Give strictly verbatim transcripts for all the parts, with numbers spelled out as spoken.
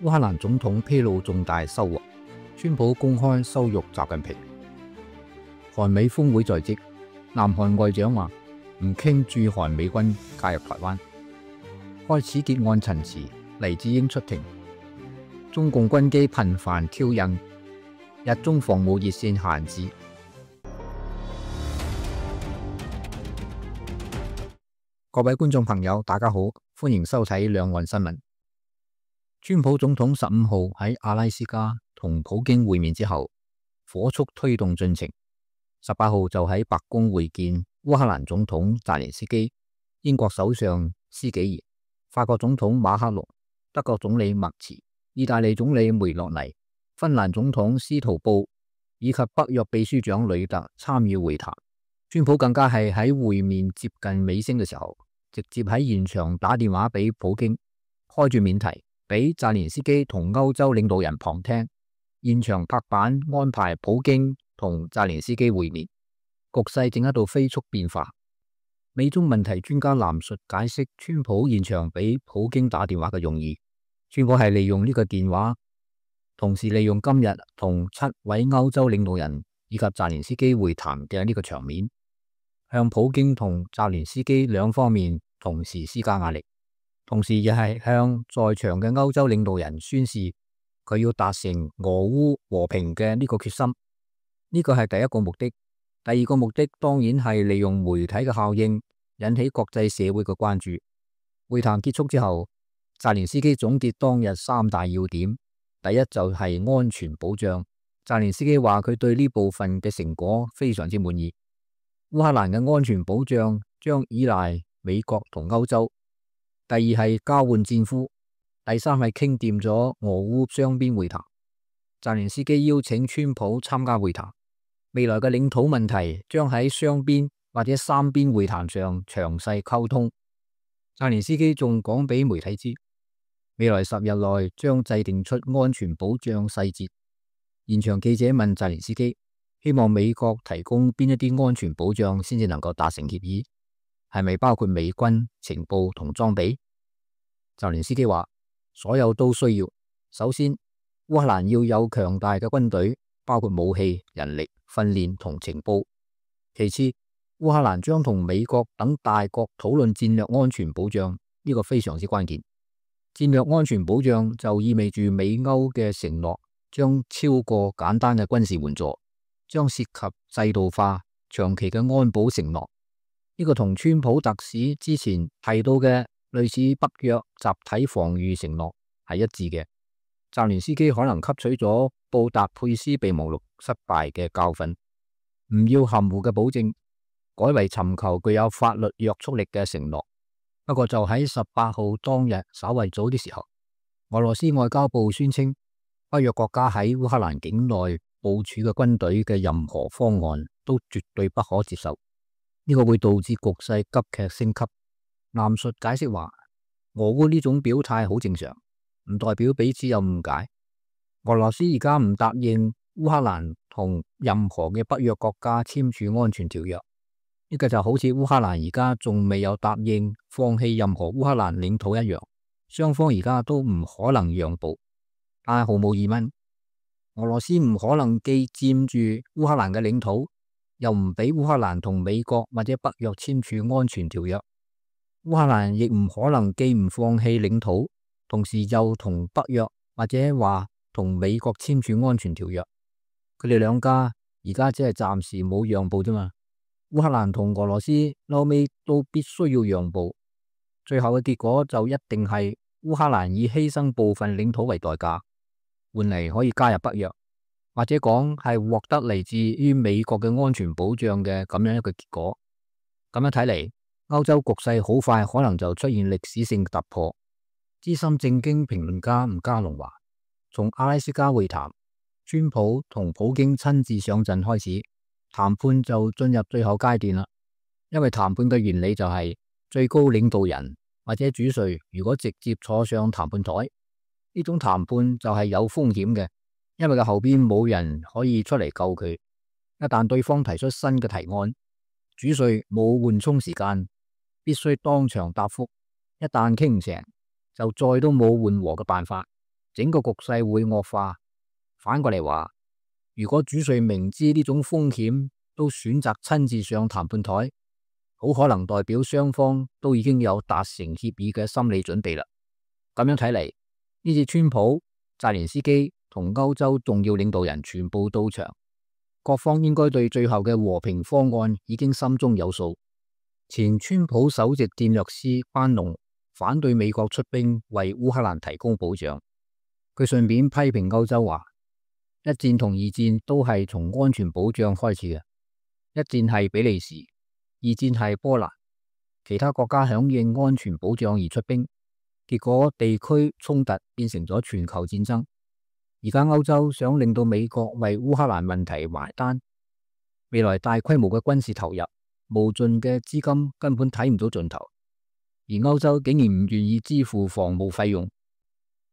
烏克蘭總統披露重大收穫，川普公開羞辱習近平。韓美峰會在即，南韓外長話唔傾駐韓美軍介入台灣。開始結案陳詞，黎智英出庭。中共軍機頻繁挑釁，日中防務熱線閒置。各位觀眾朋友，大家好，歡迎收睇兩岸新聞。川普總統十五號喺阿拉斯加同普京會面之後，火速推動進程。十八號就喺白宮會見烏克蘭總統澤連斯基、英國首相施紀賢、法國總統馬克龍、德國總理默茨、意大利總理梅洛尼、芬蘭總統斯圖布以及北約秘書長呂特參與會談。川普更加係喺會面接近尾聲嘅時候，直接喺現場打電話俾普京，開住免提俾澤連斯基同歐洲領導人旁聽，現場拍板安排普京同澤連斯基會面。局勢正喺度飛速變化。美中問題專家藍述解釋川普現場俾普京打電話嘅用意。川普係利用呢個電話，同時利用今日同七位歐洲領導人以及澤連斯基會談嘅呢個場面，向普京同澤連斯基兩方面同時施加壓力，同時亦係向在場嘅歐洲領導人宣示佢要達成俄烏和平嘅呢個決心。呢個係第一個目的。第二個目的當然係利用媒體嘅效應，引起國際社會嘅關注。會談結束之後，澤連斯基總結當日三大要點。第一就係安全保障。澤連斯基話佢對呢部分嘅成果非常之滿意。烏克蘭嘅安全保障將依賴美國同歐洲。第二係交換戰俘。第三係傾掂咗俄烏雙邊會談。澤連斯基邀請川普參加會談。未來嘅領土問題將喺雙邊或者三邊會談上詳細溝通。澤連斯基仲講俾媒體知，未來十日內將制定出安全保障細節。現場記者問澤連斯基，希望美國提供邊一啲安全保障先至能夠達成協議，係咪包括美軍情報同裝備？澤連斯基話，所有都需要。首先，烏克蘭要有強大嘅軍隊，包括武器、人力、訓練同情報。其次，烏克蘭將同美國等大國討論戰略安全保障，呢個非常之關鍵。戰略安全保障就意味住美歐嘅承諾將超過簡單嘅軍事援助，將涉及制度化、長期嘅安保承諾。呢個同川普特使之前提到嘅類似北約集體防禦承諾係一致嘅。澤連斯基可能吸取咗布達佩斯備忘錄失敗嘅教訓，唔要含糊嘅保證，改為尋求具有法律約束力嘅承諾。不過就喺十八號當日稍為早啲時候，俄羅斯外交部宣稱，北約國家喺烏克蘭境內部署嘅軍隊嘅任何方案都絕對不可接受，呢個會導致局勢急劇升級。藍述解釋話，俄烏呢種表態好正常，唔代表彼此有誤解。俄羅斯而家唔答應烏克蘭同任何嘅北約國家簽署安全條約，呢個就好似烏克蘭而家仲未有答應放棄任何烏克蘭領土一樣，雙方而家都唔可能讓步。但係毫無疑問，俄羅斯唔可能既佔住烏克蘭嘅領土，又唔俾烏克蘭同美國或者北約簽署安全條約。烏克蘭亦唔可能既唔放棄領土，同時又同北約或者話同美國簽署安全條約。佢哋兩家而家只係暫時冇讓步啫嘛。烏克蘭同俄羅斯後尾都必須要讓步，最後嘅結果就一定係烏克蘭以犧牲部分領土為代價，換嚟可以加入北約，或者講係獲得嚟自於美國嘅安全保障嘅咁樣一個結果。咁樣睇嚟，歐洲局勢好快可能就出現歷史性突破。資深政經評論家吳家龍話，從阿拉斯加會談，川普同普京親自上陣開始，談判就進入最後階段啦。因為談判嘅原理就係最高領導人或者主帥如果直接坐上談判台，呢種談判就係有風險嘅，因為佢後邊冇人可以出嚟救佢。一旦對方提出新嘅提案，主帥冇緩衝時間，必須當場答覆。一旦傾唔成，就再都冇緩和嘅辦法。整個局勢會惡化。反過嚟話，如果主帥明知呢種風險都選擇親自上談判台，好可能代表雙方都已經有達成協議嘅心理準備啦。咁樣睇嚟，呢次川普、澤連斯基同歐洲重要領導人全部到場，各方應該對最後嘅和平方案已經心中有數。前川普首席戰略師班農反對美國出兵為烏克蘭提供保障，佢順便批評歐洲話，一戰同二戰都係從安全保障開始嘅，一戰係比利時，二戰係波蘭，其他國家響應安全保障而出兵，結果地區衝突變成咗全球戰爭。而家歐洲想令到美國為烏克蘭問題埋單，未來大規模嘅軍事投入，無盡嘅資金根本睇唔到盡頭，而歐洲竟然唔願意支付防務費用。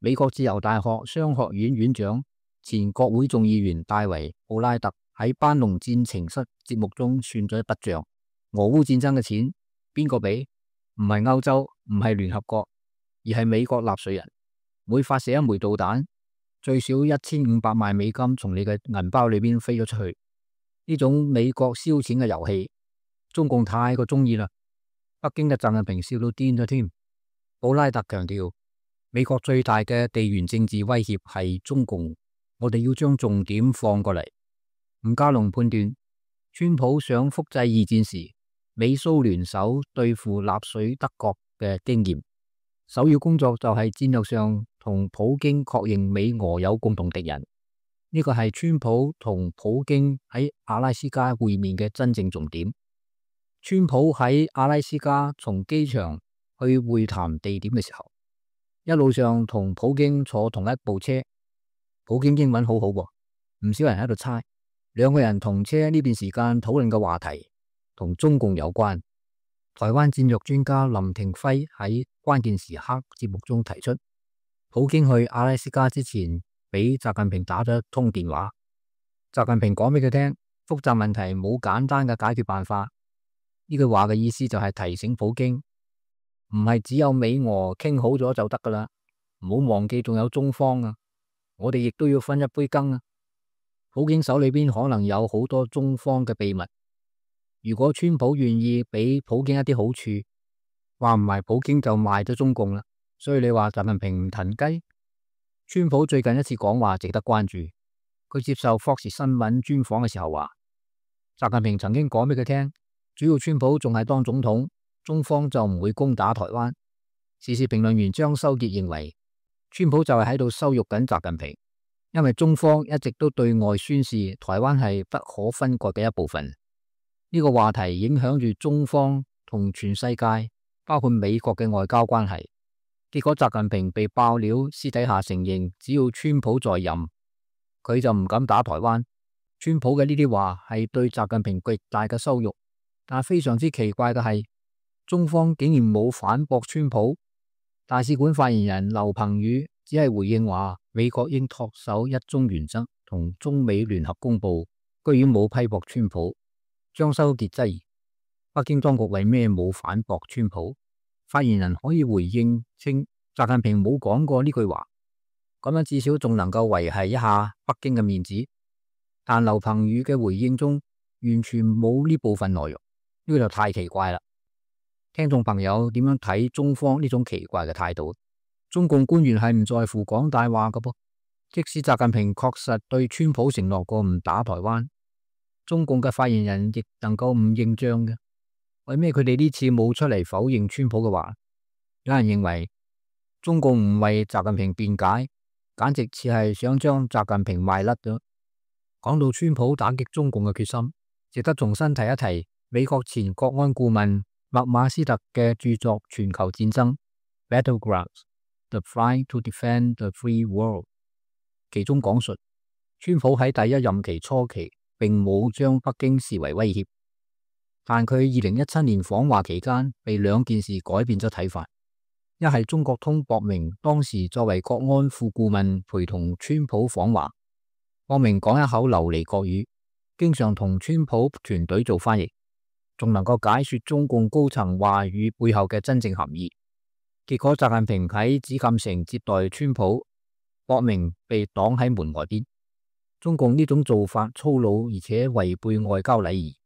美國自由大學商學院院長、前國會眾議員戴維·布拉特喺班農戰情室節目中算咗一筆賬：俄烏戰爭嘅錢邊個俾？唔係歐洲，唔係聯合國，而係美國納稅人。每發射一枚導彈，最少一千五百萬美金從你嘅銀包裏邊飛咗出去。呢種美國燒錢嘅遊戲，中共太過中意啦。北京嘅習近平笑到癲咗添。布拉特強調，美國最大嘅地緣政治威脅係中共，我哋要將重點放過嚟。吳家龍判斷，川普想複製二戰時美蘇聯手對付納粹德國嘅經驗，首要工作就係戰略上同普京確認美俄有共同敵人。呢個係川普同普京喺阿拉斯加會面嘅真正重點。川普喺阿拉斯加從機場去會談地點嘅時候，一路上同普京坐同一部車。普京英文好好喎，唔少人喺度猜，兩個人同車呢段時間討論嘅話題同中共有關。台灣戰略專家林廷輝喺關鍵時刻節目中提出，普京去阿拉斯加之前俾習近平打咗一通電話，習近平講俾佢聽，複雜問題冇簡單嘅解決辦法。呢句話嘅意思就係提醒普京，唔係只有美俄傾好咗就得噶啦，唔好忘記仲有中方啊，我哋亦都要分一杯羹啊。普京手裏邊可能有好多中方嘅秘密，如果川普願意俾普京一啲好處，話唔埋普京就賣咗中共啦。所以你話習近平唔騰雞？川普最近一次講話值得關注，佢接受霍士新聞專訪嘅時候話，習近平曾經講俾佢聽，主要川普仲係當總統，中方就唔會攻打台灣。時事評論員張修傑認為，川普就係喺度羞辱緊習近平，因為中方一直都對外宣示台灣係不可分割嘅一部分。呢個話題影響住中方同全世界，包括美國嘅外交關係。結果習近平被爆料，私底下承認，只要川普在任，佢就唔敢打台灣。川普嘅呢啲話係對習近平極大嘅羞辱。但非常之奇怪嘅係，中方竟然冇反駁川普。大使館發言人劉鵬宇只係回應話，美國應恪守一中原則同中美聯合公報，居然冇批駁川普。張修傑質疑，北京當局為咩冇反駁川普？發言人可以回應稱，習近平冇講過呢句話，咁樣至少仲能夠維繫一下北京嘅面子。但劉鵬宇嘅回應中完全冇呢部分內容，呢個就太奇怪啦。聽眾朋友點樣睇中方呢種奇怪嘅態度？中共官員係唔在乎講大話嘅噃，即使習近平確實對川普承諾過唔打台灣，中共嘅發言人亦能夠唔認賬嘅。為咩佢哋呢次冇出嚟否認川普嘅話？有人認為中共唔為習近平辯解，簡直似係想將習近平賣甩咗。講到川普打擊中共嘅決心，值得重新提一提美國前國安顧問麥馬斯特嘅著作《全球戰爭》（Battlegrounds: The Fight to Defend the Free World），其中講述川普喺第一任期初期並冇將北京視為威脅。但佢二零一七年訪華期間，被兩件事改變咗睇法。一係中國通博明當時作為國安副顧問陪同川普訪華，博明講一口流利國語，經常同川普團隊做翻譯，仲能夠解說中共高層話語背後嘅真正含義。結果習近平喺紫禁城接待川普，搏命被擋喺門外邊。中共呢種做法粗魯而且違背外交禮儀，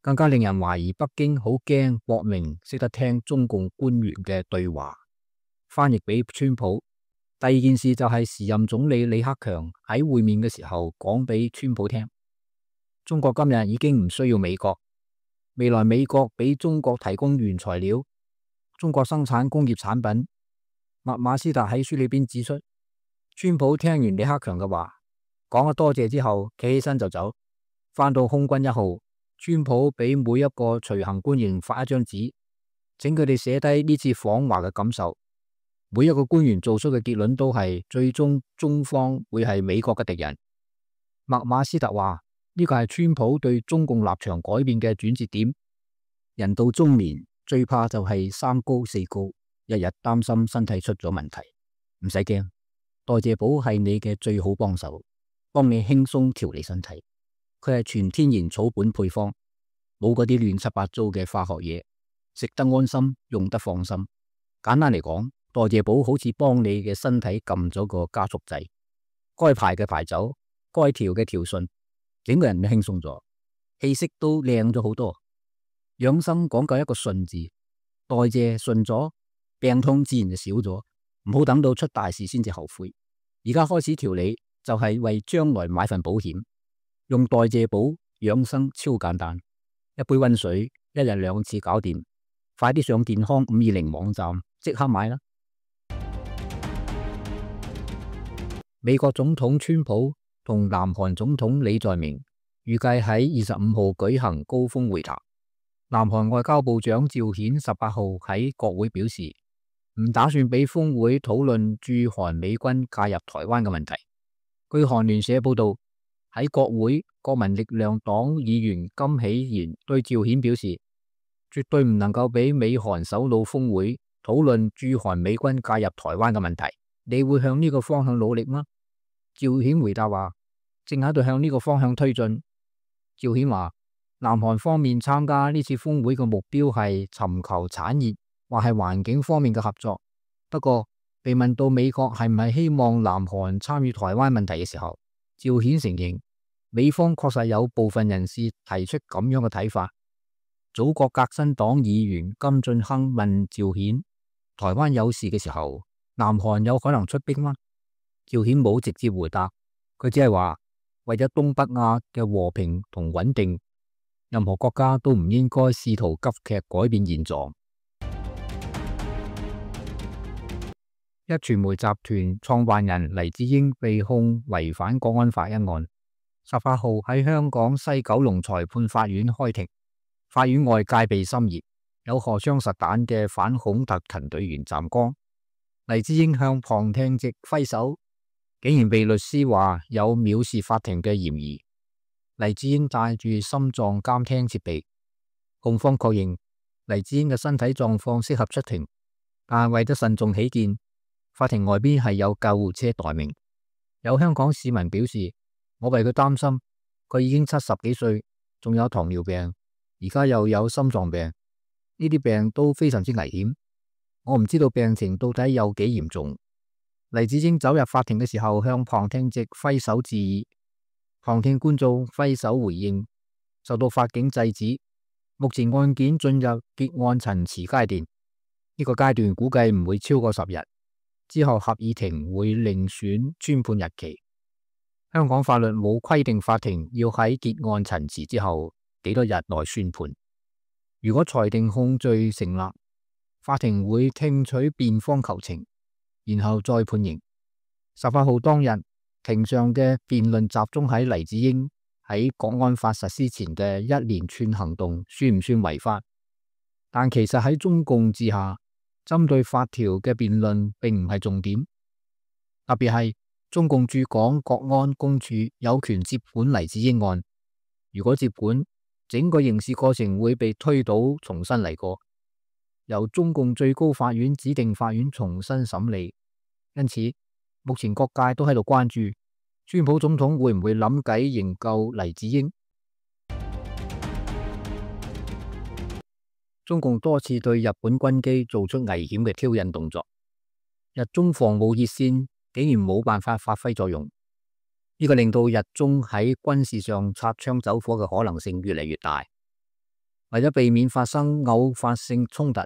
更加令人懷疑北京好驚搏命識得聽中共官員嘅對話，翻譯俾川普。第二件事就係時任總理李克強喺會面嘅時候講俾川普聽，中國今日已經唔需要美國，未來美國俾中國提供原材料，中國生產工業產品。麥馬斯特喺書裏邊指出，川普聽完李克強嘅話，講咗多謝之後，企起身就走，翻到空軍一號，川普俾每一個隨行官員發一張紙，請佢哋寫低呢次訪華嘅感受。每一個官員做出嘅結論都係最終中方會係美國嘅敵人。麥馬斯特話呢個係川普對中共立場改變嘅轉折點。人到中年最怕就係三高四高，日日擔心身體出咗問題。唔使驚，代謝寶係你嘅最好幫手，幫你輕鬆調理身體。佢係全天然草本配方，冇嗰啲亂七八糟嘅化學嘢，食得安心，用得放心。簡單嚟講，代謝寶好似幫你嘅身體撳咗個加速掣，該排嘅排走，該調嘅調順，整個人都輕鬆咗，氣色都靚咗好多。養生講究一個順字，代謝順咗，病痛自然就少咗。唔好等到出大事先至後悔，而家開始調理就係為將來買份保險。用代謝寶養生超簡單，一杯溫水，一日兩次搞掂。快啲上健康五二零網站即刻買啦！美國總統川普同南韓總統李在明預計喺二十五號舉行高峰會談。南韓外交部長趙顯十八號喺國會表示，唔打算俾峰會討論駐韓美軍介入台灣嘅問題。據韓聯社報道，喺國會國民力量黨議員金喜賢對趙顯表示，絕對唔能夠俾美韓首腦峰會討論駐韓美軍介入台灣嘅問題。你會向呢個方向努力嗎？趙顯回答話，正喺度向呢個方向推進。趙顯話，南韓方面參加呢次峰會嘅目標係尋求產業或係環境方面嘅合作。不過被問到美國係唔係希望南韓參與台灣問題嘅時候，趙顯承認美方確實有部分人士提出咁樣嘅睇法。祖國革新黨議員金俊亨問趙顯，台灣有事嘅時候，南韓有可能出兵嗎？趙顯冇直接回答，佢只係話，為咗東北亞嘅和平同穩定，任何國家都唔應該試圖急劇改變現狀。壹傳媒集團創辦人黎智英被控違反國安法一案，十八號喺香港西九龍裁判法院開庭，法院外戒備森嚴，有荷槍實彈嘅反恐特勤隊員站崗。黎智英向旁聽席揮手，竟然被律師話有藐視法庭嘅嫌疑。黎智英帶住心臟監聽設備，控方確認黎智英嘅身體狀況適合出庭，但係為咗慎重起見，法庭外邊係有救護車待命。有香港市民表示，我為佢擔心，佢已經七十幾歲，仲有糖尿病，而家又有心臟病，呢啲病都非常之危險。我唔知道病情到底有幾嚴重。黎智英走入法庭嘅時候，向旁聽席揮手致意，旁聽觀眾揮手回應，受到法警制止。目前案件進入結案陳詞階段，呢個階段估計唔會超過十日，之後合議庭會另選宣判日期。香港法律冇規定法庭要喺結案陳詞之後幾多日內宣判。如果裁定控罪成立，法庭會聽取辯方求情，然後再判刑。十八號當日，庭上嘅辯論集中喺黎智英喺國安法實施前嘅一連串行動算唔算違法？但其實喺中共治下，針對法條嘅辯論並唔係重點。特別係中共駐港國安公署有權接管黎智英案，如果接管，整個刑事過程會被推倒，重新嚟過，由中共最高法院指定法院重新審理。因此，目前各界都喺度關注，川普總統會唔會諗計營救黎智英？中共多次對日本軍機做出危險嘅挑釁動作。日中防務熱線竟然冇辦法發揮作用，呢個令到日中喺軍事上擦槍走火嘅可能性越嚟越大。為咗避免發生偶發性衝突，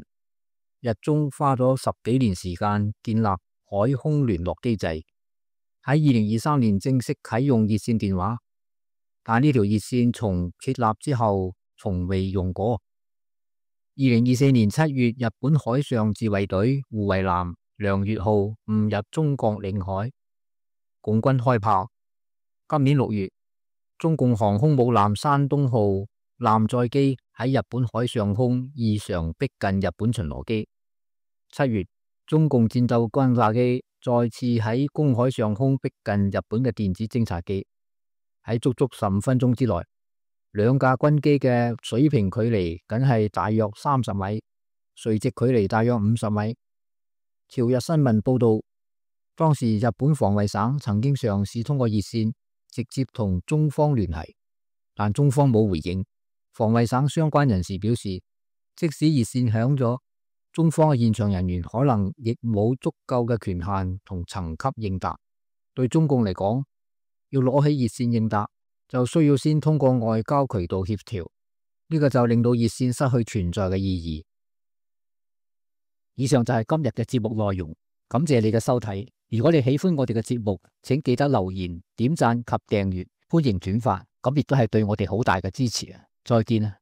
日中花咗十幾年時間建立海空聯絡機制，喺二零二三年正式啟用熱線電話，但呢條熱線從設立之後從未用過。二零二四年七月，日本海上自衛隊護衛艦梁月號誤入中國領海，共軍開炮。今年六月，中共航空母艦山東號艦載機喺日本海上空異常逼近日本巡邏機。七月，中共戰鬥轟炸機再次喺公海上空逼近日本嘅電子偵察機。喺足足十五分鐘之內，兩架軍機嘅水平距離僅係大約三十米，垂直距離大約五十米。朝日新聞報道，當時日本防衛省曾經嘗試通過熱線直接同中方聯繫，但中方冇回應。防衛省相關人士表示，即使熱線響咗，中方嘅現場人員可能亦冇足夠嘅權限同層級應答。對中共嚟講，要攞起熱線應答，就需要先通過外交渠道協調，呢個就令到熱線失去存在嘅意義。以上就係今日嘅節目內容，感謝你嘅收睇。如果你喜歡我哋嘅節目，請記得留言、點讚及訂閱，歡迎轉發，咁亦都係對我哋好大嘅支持啊！再見啊！